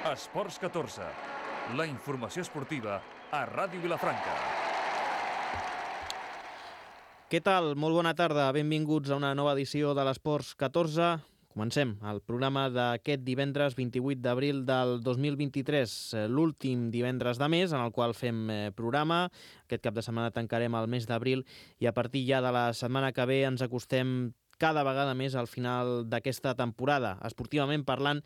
Esports 14, la informació esportiva a Ràdio Vilafranca. Què tal? Molt bona tarda. Benvinguts a una nova edició de l'Esports 14. Comencem el programa d'aquest divendres 28 d'abril del 2023, l'últim divendres de mes en el qual fem programa. Aquest cap de setmana tancarem el mes d'abril i a partir ja de la setmana que ve ens acostem cada vegada més al final d'aquesta temporada. Esportivament parlant,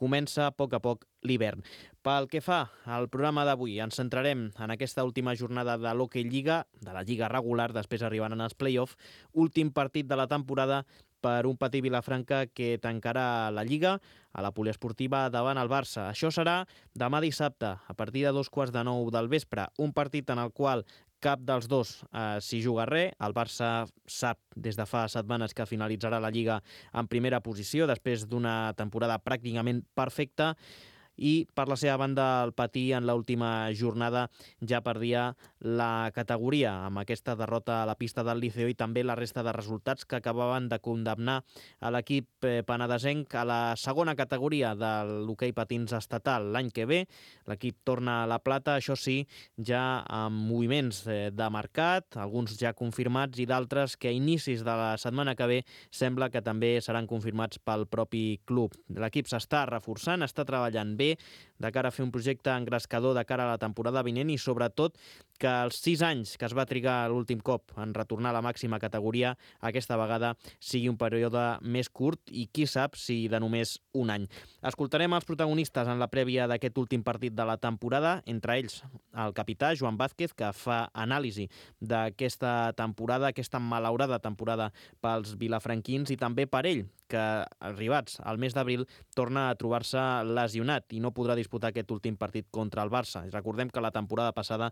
comença a poc l'hivern. Pel que fa al programa d'avui, ens centrarem en aquesta última jornada de l'Hockey Lliga, de la Lliga regular, després arribaran els play-off, últim partit de la temporada per un Patí Vilafranca que tancarà la Lliga a la poliesportiva davant el Barça. Això serà demà dissabte, a partir de 2:45 del vespre, un partit en el qual cap dels dos s'hi juga res. El Barça sap des de fa setmanes que finalitzarà la Lliga en primera posició després d'una temporada pràcticament perfecta i per la seva banda el Patí en l'última jornada ja perdia la categoria amb aquesta derrota a la pista del Liceo i també la resta de resultats que acabaven de condemnar a l'equip penedesenc a la segona categoria de l'hoquei patins estatal l'any que ve. L'equip torna a la plata, això sí, ja amb moviments de mercat, alguns ja confirmats i d'altres que a inicis de la setmana que ve sembla que també seran confirmats pel propi club. L'equip s'està reforçant, està treballant bé de cara a fer un projecte engrescador de cara a la temporada vinent i sobretot que els 6 anys que es va trigar l'últim cop en retornar a la màxima categoria aquesta vegada sigui un període més curt i qui sap si de només un any. Escoltarem els protagonistes en la prèvia d'aquest últim partit de la temporada, entre ells el capità Joan Vázquez, que fa anàlisi d'aquesta temporada, aquesta malaurada temporada pels vilafranquins i també per ell, que arribats al mes d'abril torna a trobar-se lesionat i no podrà disputar aquest últim partit contra el Barça. Recordem que la temporada passada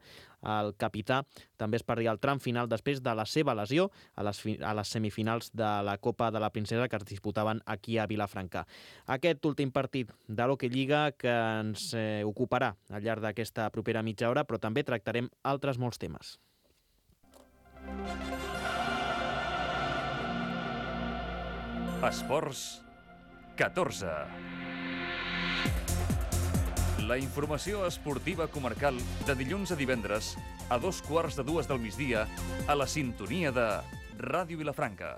el capità també es perdia el tram final després de la seva lesió a les semifinals de la Copa de la Princesa que es disputaven aquí a Vilafranca. Aquest últim partit de l'Hockey Lliga que ens ocuparà al llarg d'aquesta propera mitja hora, però també tractarem altres molts temes. Esports 14. La informació esportiva comarcal de dilluns a divendres a 2:15 del migdia a la sintonia de Ràdio Vilafranca.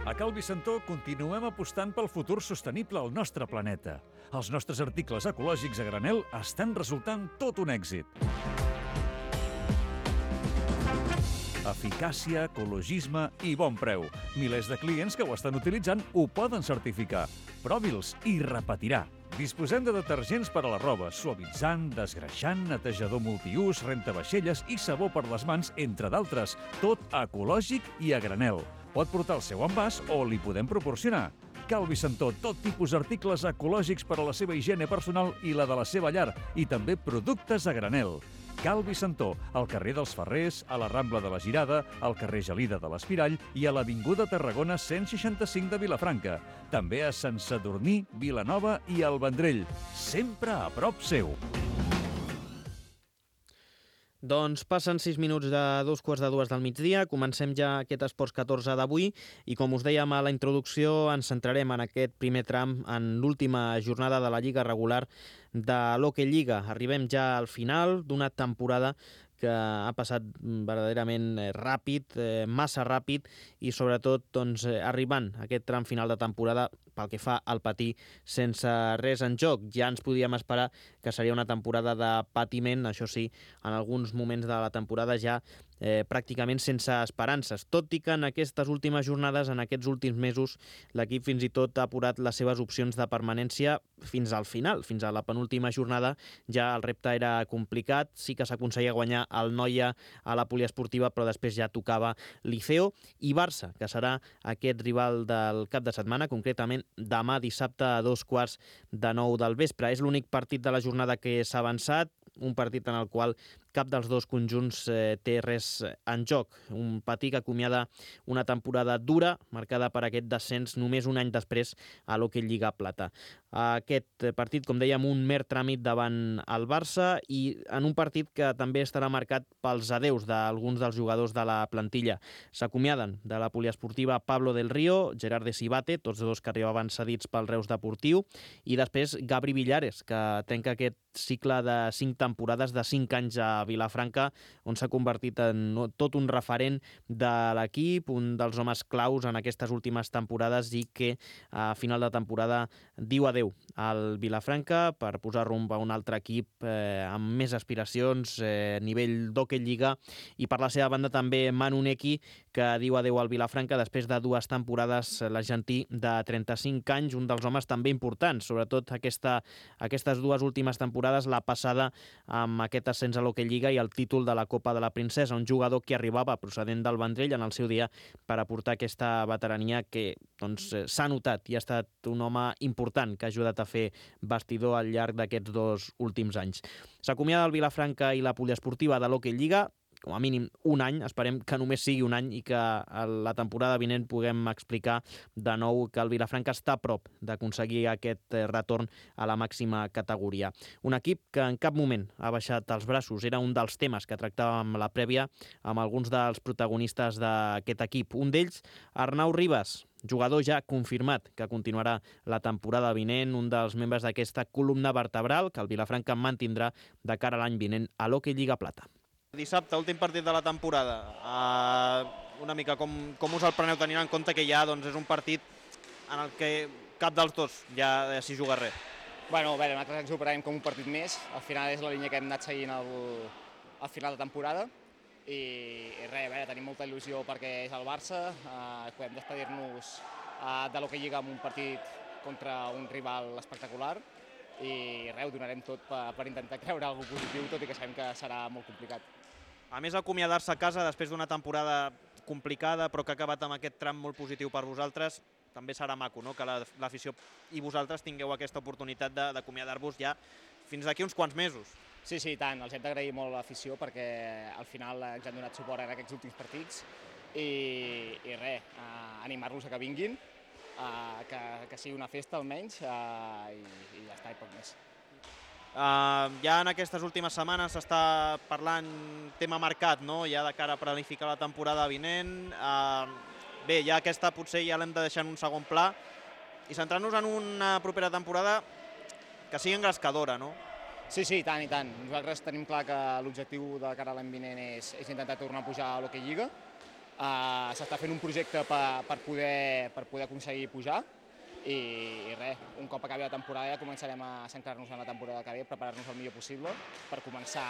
A Cal Vicentó continuem apostant pel futur sostenible al nostre planeta. Els nostres articles ecològics a granel estan resultant tot un èxit. Eficàcia, ecologisme i bon preu. Milers de clients que ho estan utilitzant ho poden certificar. Provi'ls i repetirà. Disposem de detergents per a la roba, suavitzant, desgreixant, netejador multiús, rentavaixelles i sabó per les mans, entre d'altres. Tot ecològic i a granel. Pot portar el seu envàs o li podem proporcionar. Cal Vicentó, tot tipus d'articles ecològics per a la seva higiene personal i la de la seva llar, i també productes a granel. Cal Vicentó, al carrer dels Ferrers, a la Rambla de la Girada, al carrer Gelida de l'Espirall i a l'Avinguda Tarragona 165 de Vilafranca. També a Sant Sadurní, Vilanova i el Vendrell. Sempre a prop seu. Doncs passen 6 minuts de 2:15 del migdia, comencem ja aquest Esports 14 d'avui i com us dèiem a la introducció ens centrarem en aquest primer tram en l'última jornada de la Lliga regular de l'Hockey Lliga. Arribem ja al final d'una temporada que ha passat verdaderament ràpid, massa ràpid i sobretot arribant a aquest tram final de temporada pel que fa al Patí sense res en joc. Ja ens podíem esperar que seria una temporada de patiment, això sí, en alguns moments de la temporada ja pràcticament sense esperances, tot i que en aquestes últimes jornades, en aquests últims mesos, l'equip fins i tot ha apurat les seves opcions de permanència fins al final, fins a la penúltima jornada. Ja el repte era complicat, sí que s'aconseguia guanyar el Noia a la poliesportiva, però després ja tocava Liceo i Barça, que serà aquest rival del cap de setmana, concretament demà dissabte a 2:15 del vespre. És l'únic partit de la jornada que s'ha avançat, un partit en el qual cap dels dos conjunts té res en joc. Un Patí que acomiada una temporada dura, marcada per aquest descens només un any després a l'Hockey Lliga Plata. Aquest partit, com dèiem, un mer tràmit davant el Barça i en un partit que també estarà marcat pels adeus d'alguns dels jugadors de la plantilla. S'acomiaden de la poliesportiva Pablo del Río, Gerard de Cibate, tots dos que arribaven cedits pel Reus Deportiu, i després Gabri Villares, que trenca aquest cicle de 5 temporades, de 5 anys a Vilafranca, on s'ha convertit en tot un referent de l'equip, un dels homes claus en aquestes últimes temporades i que a final de temporada diu adeu al Vilafranca per posar rumb a un altre equip amb més aspiracions, nivell d'Hockey Lliga, i per la seva banda també Manu Neki, que diu adeu al Vilafranca després de 2 temporades, l'argentí de 35 anys, un dels homes també importants, sobretot aquestes 2 últimes temporades, la passada amb aquest ascens a l'Hockey Lliga i el títol de la Copa de la Princesa, un jugador que arribava procedent del Vendrell en el seu dia per aportar aquesta veterania que s'ha notat i ha estat un home important que ha ajudat a fer bastidor al llarg d'aquests 2 últims anys. S'acomiada el Vilafranca i la poliesportiva de l'Hockey Lliga, com a mínim un any, esperem que només sigui un any i que la temporada vinent puguem explicar de nou que el Vilafranca està a prop d'aconseguir aquest retorn a la màxima categoria. Un equip que en cap moment ha baixat els braços, era un dels temes que tractàvem a la prèvia amb alguns dels protagonistes d'aquest equip. Un d'ells, Arnau Ribas, jugador ja confirmat que continuarà la temporada vinent, un dels membres d'aquesta columna vertebral que el Vilafranca mantindrà de cara a l'any vinent a l'Hockey Lliga Plata. Dissabte, últim partit de la temporada. Una mica com us el preneu tenint en compte que ja és un partit en el que cap dels dos ja s'hi juga res? Bueno, a veure, nosaltres ens ho prenem com un partit més. Al final és la línia que hem anat seguint al final de temporada. I res, a veure, tenim molta il·lusió perquè és el Barça. Podem despedir-nos de l'Hockey Lliga amb un partit contra un rival espectacular. I res, ho donarem tot per intentar treure alguna cosa positiu, tot i que sabem que serà molt complicat. A més, acomiadar-se a casa després d'una temporada complicada, però que ha acabat amb aquest tram molt positiu per vosaltres, també serà maco, no?, que l'afició i vosaltres tingueu aquesta oportunitat d'acomiadar-vos ja fins d'aquí uns quants mesos. Sí, i tant. Els hem d'agrair molt a l'afició perquè al final ens han donat suport en aquests últims partits i res, animar-los a que vinguin, que sigui una festa almenys i ja està, i poc més. Ja en aquestes últimes setmanes s'està parlant tema mercat, no?, ja de cara a planificar la temporada vinent. Bé, ja aquesta potser ja l'hem de deixar en un segon pla i centrar-nos en una propera temporada que sigui engrescadora, no? Sí, i tant, i tant. Nosaltres tenim clar que l'objectiu de cara a l'any vinent és intentar tornar a pujar a l'Hockey Lliga. S'està fent un projecte per poder aconseguir pujar i res, un cop acabi la temporada ja començarem a centrar-nos en la temporada que ve, preparar-nos el millor possible per començar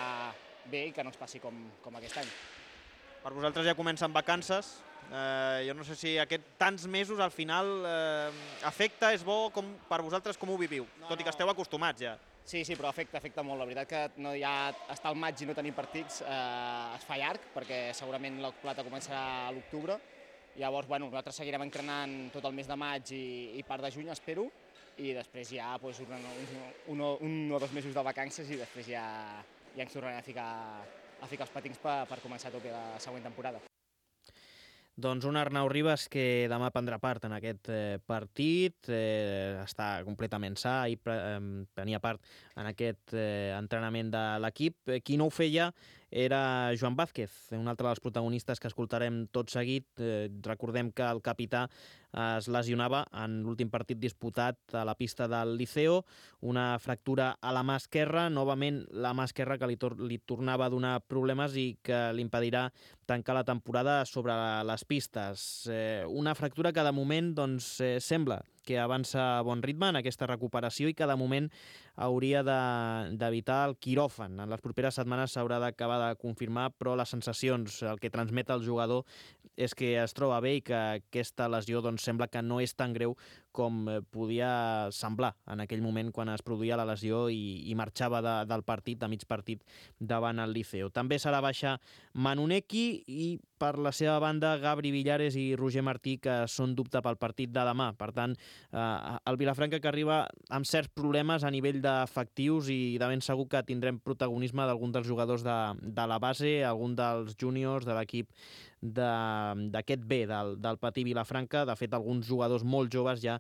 bé i que no ens passi com aquest any. Per vosaltres ja comencen vacances. Jo no sé si tants mesos al final afecta, és bo, per vosaltres com ho viviu? Tot i que esteu acostumats ja. Sí, però afecta molt. La veritat que ja estar al maig i no tenir partits es fa llarg, perquè segurament la plata començarà a l'octubre. Llavors, nosaltres seguirem entrenant tot el mes de maig i part de juny, espero, i després ja un o dos mesos de vacances i després ja ens tornarem a ficar els patins per començar a tope la següent temporada. Doncs un Arnau Ribas que demà prendrà part en aquest partit, està completament sa i tenia part en aquest entrenament de l'equip. Qui no ho feia era Joan Vázquez, un altre dels protagonistes que escoltarem tot seguit. Recordem que el capità es lesionava en l'últim partit disputat a la pista del Liceo, una fractura a la mà esquerra, novament la mà esquerra que li tornava a donar problemes i que li impedirà tancar la temporada sobre les pistes. Una fractura que de moment sembla que avança a bon ritme en aquesta recuperació i que de moment hauria d'evitar el quiròfan. En les properes setmanes s'haurà d'acabar de confirmar, però les sensacions, el que transmet el jugador és que es troba bé i que aquesta lesió sembla que no és tan greu com podia semblar en aquell moment quan es produïa la lesió i marxava del partit, de mig partit, davant el Liceo. També serà baixa Manuneki i per la seva banda Gabri Villares i Roger Martí, que són dubte pel partit de demà. Per tant, el Vilafranca que arriba amb certs problemes a nivell d'efectius i de ben segur que tindrem protagonisme d'algun dels jugadors de la base, algun dels júniors de l'equip d'aquest B, del Patí Vilafranca. De fet, alguns jugadors molt joves ja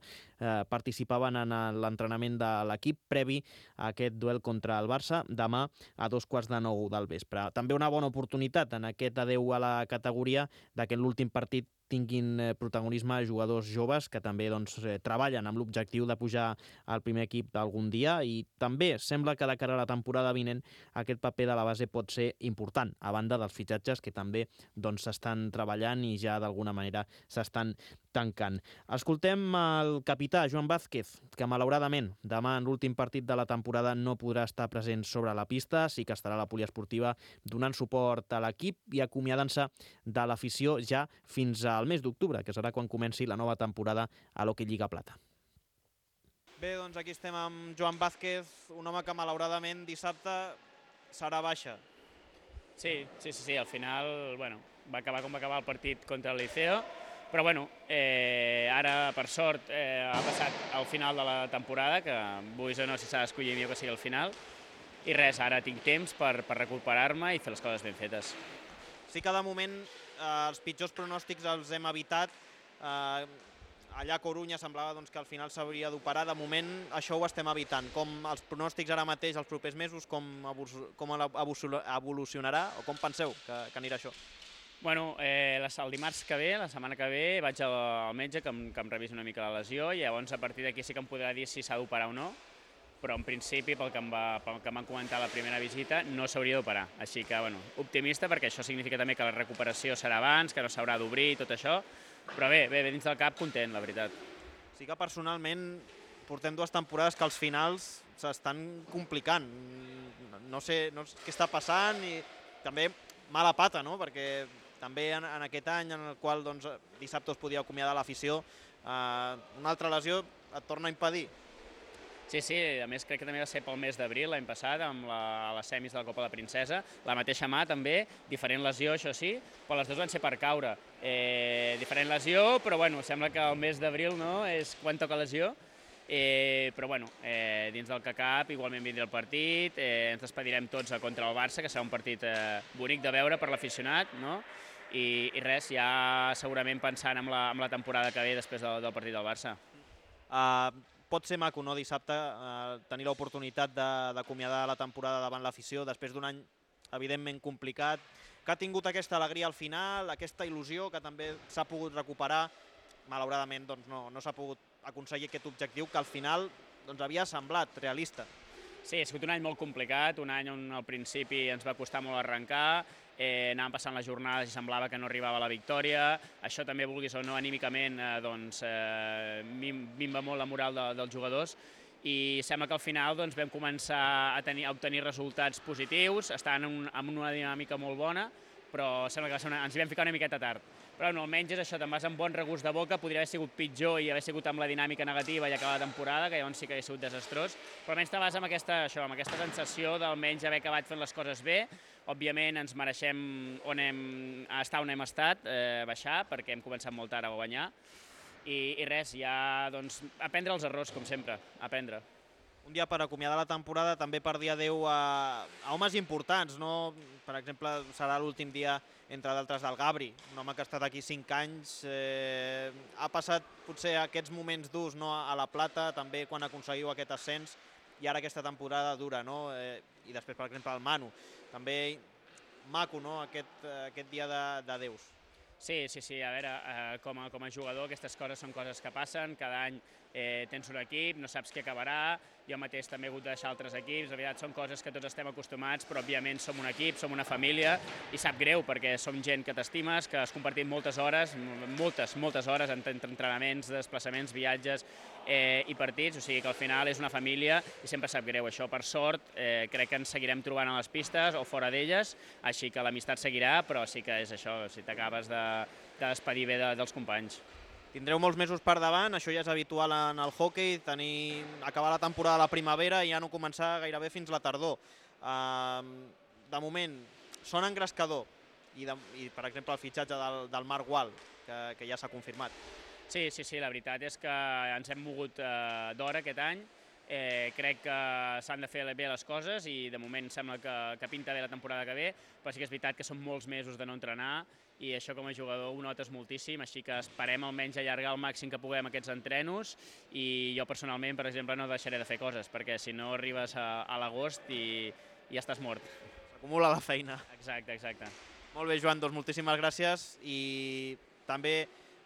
participaven en l'entrenament de l'equip previ a aquest duel contra el Barça demà a 8:45 del vespre. També una bona oportunitat en aquest adeu a la categoria de que en l'últim partit tinguin protagonisme jugadors joves que també treballen amb l'objectiu de pujar al primer equip d'algun dia, i també sembla que de cara a la temporada vinent aquest paper de la base pot ser important, a banda dels fitxatges que també s'estan treballant i ja d'alguna manera s'estan tancant. Escoltem el capità Joan Vázquez, que malauradament demà en l'últim partit de la temporada no podrà estar present sobre la pista, sí que estarà a la poliesportiva donant suport a l'equip i acomiadant-se de l'afició ja fins al mes d'octubre, que serà quan comenci la nova temporada a l'Hockey Lliga Plata. Bé, doncs aquí estem amb Joan Vázquez, un home que malauradament dissabte serà baixa. Sí, al final va acabar com va acabar el partit contra el Liceo, però ara per sort ha passat al final de la temporada, que vull o no si s'ha d'escollir millor que sigui al final, i res, ara tinc temps per recuperar-me i fer les coses ben fetes. Sí que de moment els pitjors pronòstics els hem evitat. Allà a Corunya semblava que al final s'hauria d'operar. De moment això ho estem evitant. Com els pronòstics ara mateix, els propers mesos, com evolucionarà o com penseu que anirà això? El dimarts que ve, la setmana que ve, vaig al metge que em revisi una mica la lesió i llavors a partir d'aquí sí que em podrà dir si s'ha d'operar o no, però en principi, pel que m'han comentat a la primera visita, no s'hauria d'operar. Així que, optimista, perquè això significa també que la recuperació serà abans, que no s'haurà d'obrir i tot això, però bé, dins del cap content, la veritat. Sí que personalment portem 2 temporades que els finals s'estan complicant. No sé què està passant i també mala pata, no? Perquè també en aquest any en el qual dissabte es podia acomiadar l'afició, una altra lesió et torna a impedir. Sí, a més crec que també va ser pel mes d'abril l'any passat amb les semis de la Copa de Princesa, la mateixa mà també, diferent lesió això sí, però les dues van ser per caure. Diferent lesió, però sembla que el mes d'abril és quan toca lesió, però dins del que cap igualment vindrà el partit, ens despedirem tots contra el Barça, que serà un partit bonic de veure per l'aficionat, no? I res, ja segurament pensant en la temporada que ve després del partit del Barça. Pot ser maco, no, dissabte, tenir l'oportunitat d'acomiadar la temporada davant l'afició després d'un any evidentment complicat, que ha tingut aquesta alegria al final, aquesta il·lusió que també s'ha pogut recuperar. Malauradament no s'ha pogut aconseguir aquest objectiu que al final havia semblat realista. Sí, ha sigut un any molt complicat, un any on al principi ens va costar molt arrencar, anàvem passant les jornades i semblava que no arribava la victòria. Això també, vulguis o no, anímicament minva molt la moral dels jugadors i sembla que al final vam començar a obtenir resultats positius, estar en una dinàmica molt bona, però sembla que ens hi vam ficar una miqueta tard. Però almenys és això, te'n vas amb bon regust de boca, podria haver sigut pitjor i haver sigut amb la dinàmica negativa i acabar la temporada, que llavors sí que hauria sigut desastrós, però almenys te vas amb aquesta sensació d'almenys haver acabat fent les coses bé. Òbviament ens mereixem estar on hem estat, baixar, perquè hem començat molt tard a guanyar, i res, ja aprendre els errors, com sempre, aprendre. Un dia per acomiadar la temporada, també per dir adeu a homes importants, no? Per exemple, serà l'últim dia, entre d'altres, del Gabri, un home que ha estat aquí 5 anys, ha passat potser aquests moments durs a la Plata, també quan aconseguiu aquest ascens, i ara aquesta temporada dura, no? I després, per exemple, el Manu. També maco, no?, aquest dia d'adeus. Sí, a veure, com a jugador aquestes coses són coses que passen, cada any tens un equip, no saps qui acabarà, jo mateix també he hagut de deixar altres equips, de veritat són coses que tots estem acostumats, però òbviament som un equip, som una família, i sap greu perquè som gent que t'estimes, que has compartit moltes hores, moltes hores entre entrenaments, desplaçaments, viatges i partits, o sigui que al final és una família i sempre sap greu això. Per sort, crec que ens seguirem trobant a les pistes o fora d'elles, així que l'amistat seguirà, però sí que és això, si t'acabes de despedir bé dels companys. Tindreu molts mesos per davant, això ja és habitual en el hoquei, acabar la temporada a la primavera i ja no començar gairebé fins la tardor. De moment, sona engrescador i per exemple, el fitxatge del Marc Gual, que ja s'ha confirmat. Sí, la veritat és que ens hem mogut d'hora aquest any. Crec que s'han de fer bé les coses i de moment sembla que pinta bé la temporada que ve, però sí que és veritat que són molts mesos de no entrenar i això com a jugador ho notes moltíssim, així que esperem almenys allargar el màxim que puguem aquests entrenos i jo personalment, per exemple, no deixaré de fer coses, perquè si no arribes a l'agost i ja estàs mort. S'acumula la feina. Exacte. Molt bé, Joan, doncs moltíssimes gràcies i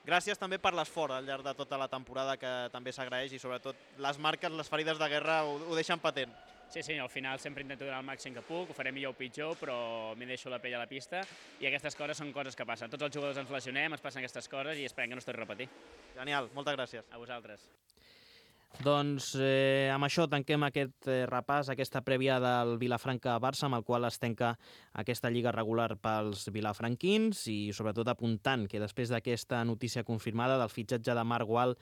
gràcies també per l'esforç al llarg de tota la temporada, que també s'agraeix, i sobretot les marques, les ferides de guerra ho deixen patent. Sí, al final sempre intento donar el màxim que puc, ho faré millor o pitjor, però m'hi deixo la pell a la pista i aquestes coses són coses que passen. Tots els jugadors ens lesionem, ens passen aquestes coses i esperem que no es torni a repetir. Genial, moltes gràcies. A vosaltres. Doncs amb això tanquem aquest repàs, aquesta prèvia del Vilafranca-Barça, amb el qual es tanca aquesta lliga regular pels vilafranquins i sobretot apuntant que després d'aquesta notícia confirmada del fitxatge de Marc Gual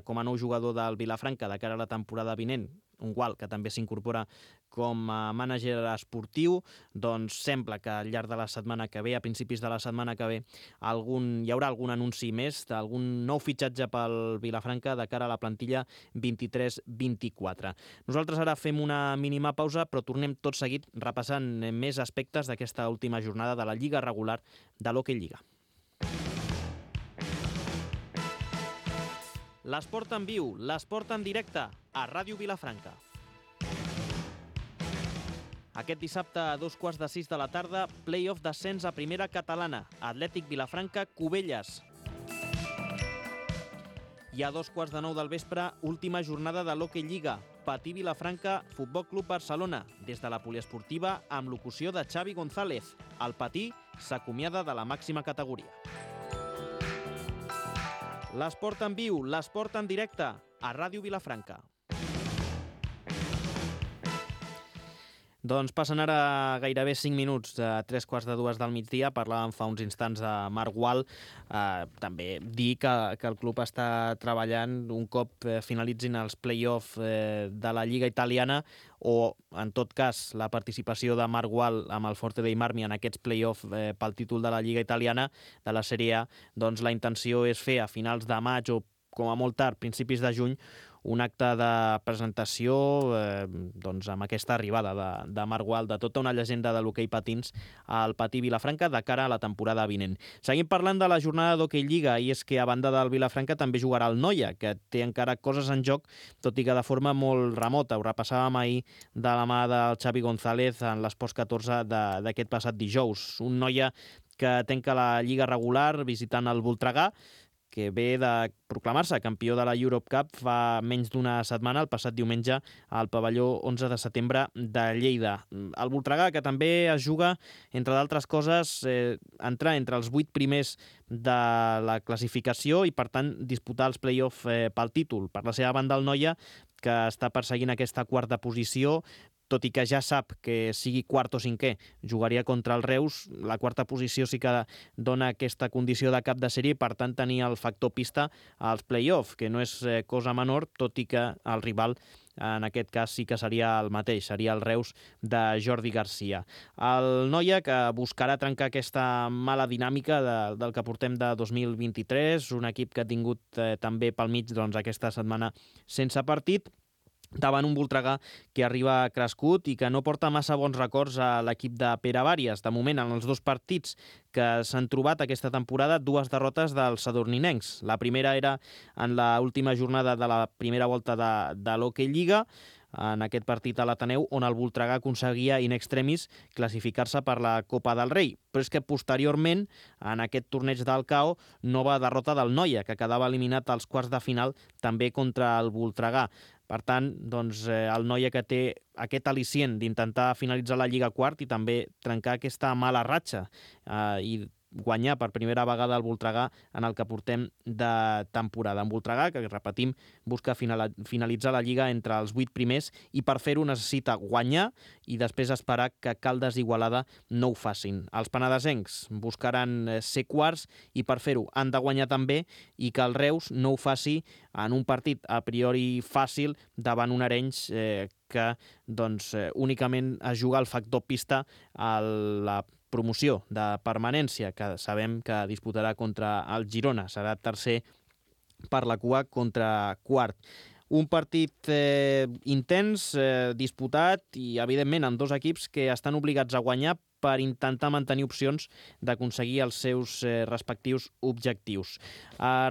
com a nou jugador del Vilafranca de cara a la temporada vinent, un Gual que també s'incorpora com a mànager esportiu, doncs sembla que al llarg de la setmana que ve, a principis de la setmana que ve, hi haurà algun anunci més d'algun nou fitxatge pel Vilafranca de cara a la plantilla 23-24. Nosaltres ara fem una mínima pausa, però tornem tot seguit repassant més aspectes d'aquesta última jornada de la Lliga regular de l'Hockey Lliga. L'esport en viu, l'esport en directe, a Ràdio Vilafranca. Aquest dissabte a 5:15 de la tarda, play-off d'ascens a primera catalana, Atlètic Vilafranca-Cubelles. I a 2:15 del vespre, última jornada de l'Hockey Lliga, Patí Vilafranca, Futbol Club Barcelona, des de la poliesportiva amb locució de Xavi González. El Patí s'acomiada de la màxima categoria. L'esport en viu, l'esport en directe, a Ràdio Vilafranca. Doncs passen ara gairebé 5 minuts a 3:15 del migdia. Parlàvem fa uns instants de Marc Gual. També dir que el club està treballant un cop finalitzin els play-off de la Lliga Italiana o, en tot cas, la participació de Marc Gual amb el Forte dei Marmi en aquests play-off pel títol de la Lliga Italiana de la Sèrie A. Doncs la intenció és fer a finals de maig o, com a molt tard, principis de juny, un acte de presentació amb aquesta arribada de Marc Gual, de tota una llegenda de l'hoquei patins al Patí Vilafranca de cara a la temporada vinent. Seguim parlant de la jornada d'Hockey Lliga, i és que a banda del Vilafranca també jugarà el Noia, que té encara coses en joc, tot i que de forma molt remota. Ho repassàvem ahir de la mà del Xavi González en l'Esports 14 d'aquest passat dijous. Un Noia que tanca la Lliga regular visitant el Voltregà, que ve de proclamar-se campió de la Europe Cup fa menys d'una setmana, el passat diumenge, al pavelló 11 de setembre de Lleida. El Voltregà, que també es juga, entre d'altres coses, entrar entre els 8 primers de la classificació i, per tant, disputar els play-off pel títol. Per la seva banda, el Noia, que està perseguint aquesta quarta posició, tot i que ja sap que sigui quart o cinquè, jugaria contra el Reus. La quarta posició sí que dona aquesta condició de cap de sèrie i, per tant, tenir el factor pista als play-off, que no és cosa menor, tot i que el rival en aquest cas sí que seria el mateix, seria el Reus de Jordi Garcia. El Noia, que buscarà trencar aquesta mala dinàmica del que portem de 2023, un equip que ha tingut també pel mig aquesta setmana sense partit, davant un Voltregà que arriba crescut i que no porta massa bons records a l'equip de Pere Vàries. De moment, en els 2 partits que s'han trobat aquesta temporada, 2 derrotes dels sadurninencs. La primera era en l'última jornada de la primera volta de l'Hockey Lliga, en aquest partit a l'Ateneu, on el Voltregà aconseguia in extremis classificar-se per la Copa del Rei. Però és que posteriorment, en aquest torneig del CAO, nova derrota del Noia, que quedava eliminat als quarts de final també contra el Voltregà. Per tant, el Noia, que té aquest al·licient d'intentar finalitzar la Lliga quart i també trencar aquesta mala ratxa i guanyar per primera vegada el Voltregà en el que portem de temporada. En Voltregà, que repetim, busca finalitzar la Lliga entre els 8 primers i per fer-ho necessita guanyar i després esperar que Caldes i Igualada no ho facin. Els penedesencs buscaran ser quarts i per fer-ho han de guanyar també i que el Reus no ho faci en un partit a priori fàcil davant un Arenys que únicament es juga al factor pista a la promoció de permanència, que sabem que disputarà contra el Girona. Serà tercer per la cua contra quart. Un partit intens, disputat i, evidentment, amb dos equips que estan obligats a guanyar per intentar mantenir opcions d'aconseguir els seus respectius objectius.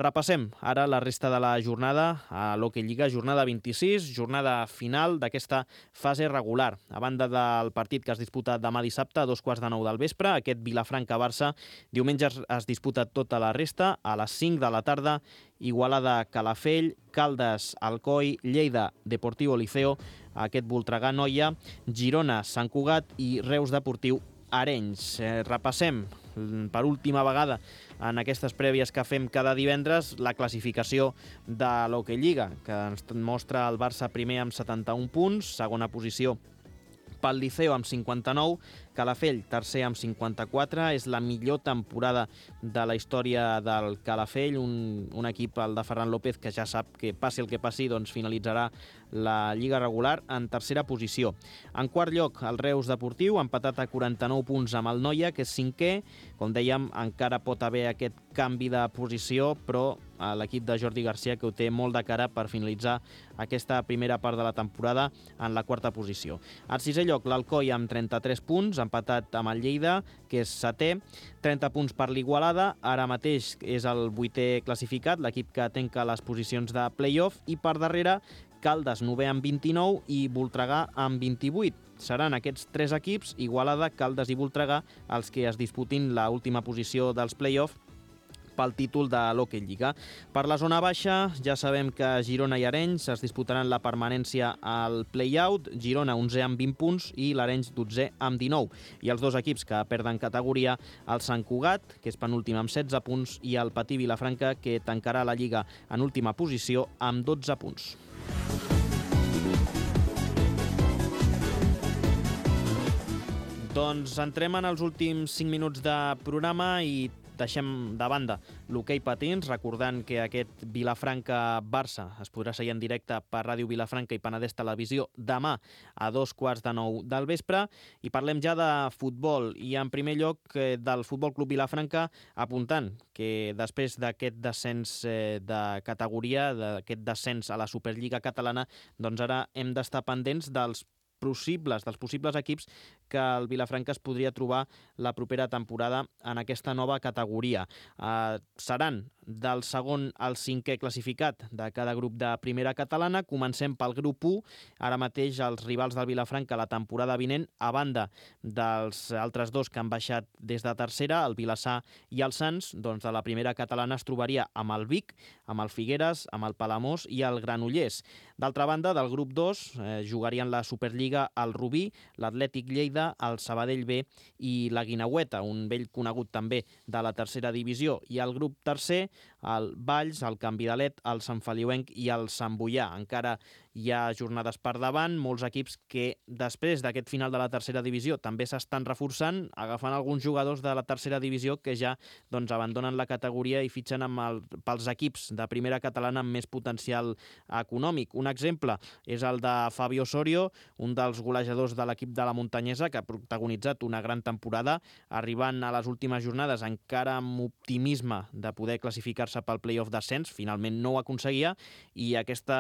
Repassem ara la resta de la jornada a l'Hockey Lliga, jornada 26, jornada final d'aquesta fase regular. A banda del partit que es disputa demà dissabte a 2:15 del vespre, aquest Vilafranca-Barça, diumenge es disputa tota la resta, a les 5 de la tarda, Igualada-Calafell, Caldes-Alcoi, Lleida-Deportivo Liceo, aquest Voltregà-Noia, Girona-Sant Cugat i Reus-Deportiu Arenys. Repassem per última vegada en aquestes prèvies que fem cada divendres la classificació de l'Hockey Lliga, que ens mostra el Barça primer amb 71 punts, segona posició pel Liceo amb 59, Calafell tercer amb 54, és la millor temporada de la història del Calafell, un equip, el de Ferran López, que ja sap que passi el que passi, doncs finalitzarà la Lliga regular en tercera posició. En quart lloc, el Reus Deportiu, empatat a 49 punts amb el Noia, que és cinquè. Com dèiem, encara pot haver aquest canvi de posició, però l'equip de Jordi Garcia que ho té molt de cara per finalitzar aquesta primera part de la temporada en la quarta posició. Al sisè lloc, l'Alcoi amb 33 punts, empatat amb el Lleida, que és setè, 30 punts per l'Igualada, ara mateix és el 8è classificat, l'equip que tanca les posicions de play-off, i per darrere Caldes, 9è amb 29 i Voltregà amb 28. Seran aquests tres equips, Igualada, Caldes i Voltregà, els que es disputin l'última posició dels play-off pel títol de l'Hockey Lliga. Per la zona baixa ja sabem que Girona i Arenys es disputaran la permanència al play-out, Girona 11è amb 20 punts i l'Arenys 12è amb 19. I els dos equips que perden categoria, el Sant Cugat, que és penúltim amb 16 punts, i el Patí Vilafranca, que tancarà la Lliga en última posició amb 12 punts. Doncs entrem en els últims 5 minuts de programa i deixem de banda l'hoquei patins, recordant que aquest Vilafranca-Barça es podrà seguir en directe per Ràdio Vilafranca i Penedès Televisió demà a 2:15 del vespre, i parlem ja de futbol, i en primer lloc del Futbol Club Vilafranca, apuntant que després d'aquest descens de categoria, d'aquest descens a la Superliga catalana, doncs ara hem d'estar pendents dels possibles equips que el Vilafranca es podria trobar la propera temporada en aquesta nova categoria. Seran del segon al cinquè classificat de cada grup de primera catalana. Comencem pel grup 1. Ara mateix els rivals del Vilafranca la temporada vinent, a banda dels altres dos que han baixat des de tercera, el Vilassar i el Sants, doncs de la primera catalana es trobaria amb el Vic, amb el Figueres, amb el Palamós i el Granollers. D'altra banda, del grup 2 jugarien la Superliga el Rubí, l'Atlètic Lleida, el Sabadell B i la Guineueta, un vell conegut també de la tercera divisió. I el grup tercer, el Valls, el Can Vidalet, el Sant Feliuenc i el Sant Boià. Encara hi ha jornades per davant, molts equips que després d'aquest final de la tercera divisió també s'estan reforçant, agafant alguns jugadors de la tercera divisió que ja abandonen la categoria i fitxen pels equips de primera catalana amb més potencial econòmic. Un exemple és el de Fabio Osorio, un dels golejadors de l'equip de la Muntanyesa, que ha protagonitzat una gran temporada, arribant a les últimes jornades encara amb optimisme de poder classificar-se pel play-off d'ascens. Finalment no ho aconseguia, i aquest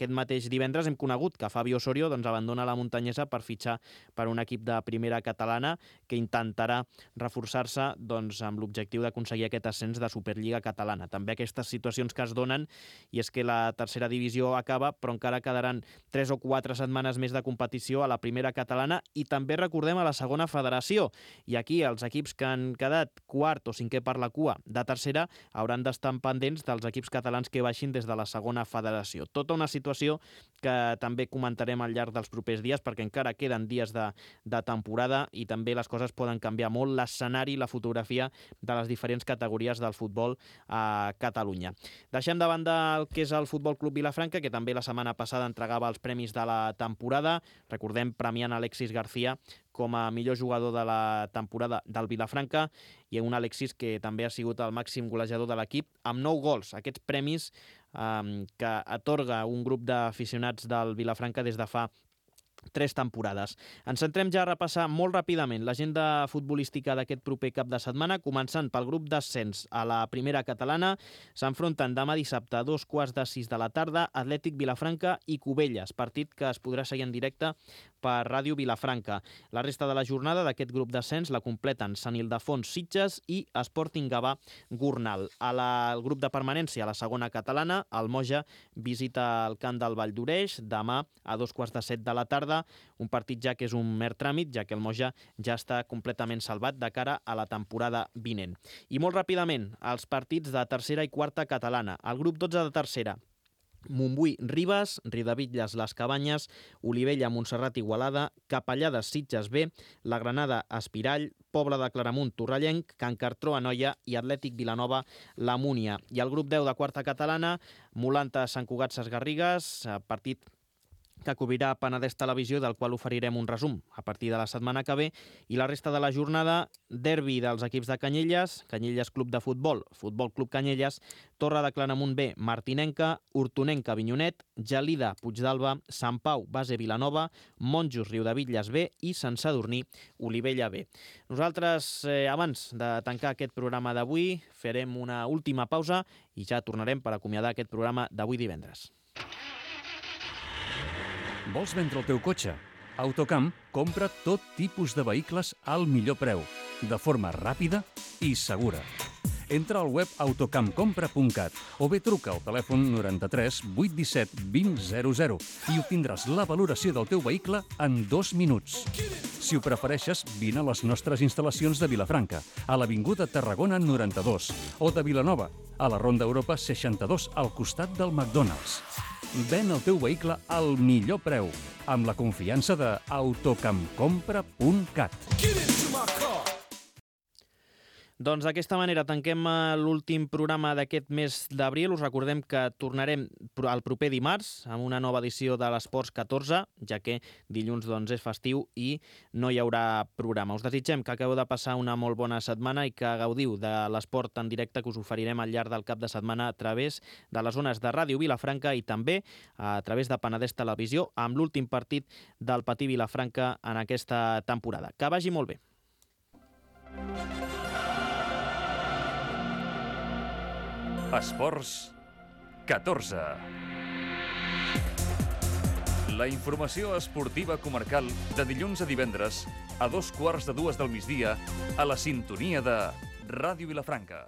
mateix divendres hem conegut que Fabio Osorio abandona la Muntanyesa per fitxar per un equip de primera catalana que intentarà reforçar-se amb l'objectiu d'aconseguir aquest ascens de Superliga catalana. També aquestes situacions que es donen, i és que la tercera divisió acaba, però encara quedaran 3 o 4 setmanes més de competició a la primera catalana, i també recordem a la segona federació. I aquí els equips que han quedat quart o cinquè per la cua de tercera hauran d'estar estan pendents dels equips catalans que baixin des de la segona federació. Tota una situació que també comentarem al llarg dels propers dies, perquè encara queden dies de temporada i també les coses poden canviar molt l'escenari i la fotografia de les diferents categories del futbol a Catalunya. Deixem de banda el que és el Futbol Club Vilafranca, que també la setmana passada entregava els premis de la temporada. Recordem, premiant Alexis García com a millor jugador de la temporada del Vilafranca, i un Alexis que també ha sigut el màxim golejador de l'equip amb 9 gols. Aquests premis que atorga un grup d'aficionats del Vilafranca des de fa 3 temporades. Ens centrem ja a repassar molt ràpidament l'agenda futbolística d'aquest proper cap de setmana, començant pel grup d'ascens a la primera catalana. S'enfronten demà dissabte a 2:15 de la tarda Atlètic Vilafranca i Cubelles, partit que es podrà seguir en directe per Ràdio Vilafranca. La resta de la jornada d'aquest grup d'ascens la completen Sant Ildefons Sitges i Sporting Gavà Gornal. Al grup de permanència, a la segona catalana, el Moja visita el camp del Vall d'Oreix demà a 2:15 de la tarda, un partit ja que és un mer tràmit, ja que el Moja ja està completament salvat de cara a la temporada vinent. I molt ràpidament, els partits de tercera i quarta catalana. El grup 12 de tercera, Montbui, Ribes, Riudebitlles, Les Cabanyes, Olivella, Montserrat, Igualada, Capellades, Sitges B, La Granada, Espirall, Pobla de Claramunt, Torrellenc, Can Cartró, Anoia i Atlètic Vilanova, La Múnia. I el grup 10 de quarta catalana, Molanta, Sant Cugat, Ses Garrigues, partit que cobrirà Penedès Televisió, del qual oferirem un resum a partir de la setmana que ve, i la resta de la jornada, derbi dels equips de Canyelles, Canyelles Club de Futbol, Futbol Club Canyelles, Torre de Claramunt B, Martinenca, Hortonenca, Avinyonet, Gelida, Puigdàlber, Sant Pau, Base Vilanova, Monjos, Riudebitlles B i Sant Sadurní, Olivella B. Nosaltres, abans de tancar aquest programa d'avui, farem una última pausa i ja tornarem per acomiadar aquest programa d'avui divendres. Vols vendre el teu cotxe? Autocamp compra tot tipus de vehicles al millor preu, de forma ràpida i segura. Entra al web autocampcompra.cat o bé truca al telèfon 93 817 2000 i obtindràs la valoració del teu vehicle en 2 minuts. Si ho prefereixes, vine a les nostres instal·lacions de Vilafranca, a l'Avinguda Tarragona 92, o de Vilanova, a la Ronda Europa 62, al costat del McDonald's. Ven el teu vehicle al millor preu, amb la confiança de autocampcompra.cat. Doncs d'aquesta manera tanquem l'últim programa d'aquest mes d'abril. Us recordem que tornarem el proper dimarts amb una nova edició de l'Esports 14, ja que dilluns és festiu i no hi haurà programa. Us desitgem que acabeu de passar una molt bona setmana i que gaudiu de l'esport en directe que us oferirem al llarg del cap de setmana a través de les zones de Ràdio Vilafranca i també a través de Penedès Televisió amb l'últim partit del Patí Vilafranca en aquesta temporada. Que vagi molt bé. Esports 14. La informació esportiva comarcal de dilluns a divendres a 2:15 del migdia a la sintonia de Ràdio Vilafranca.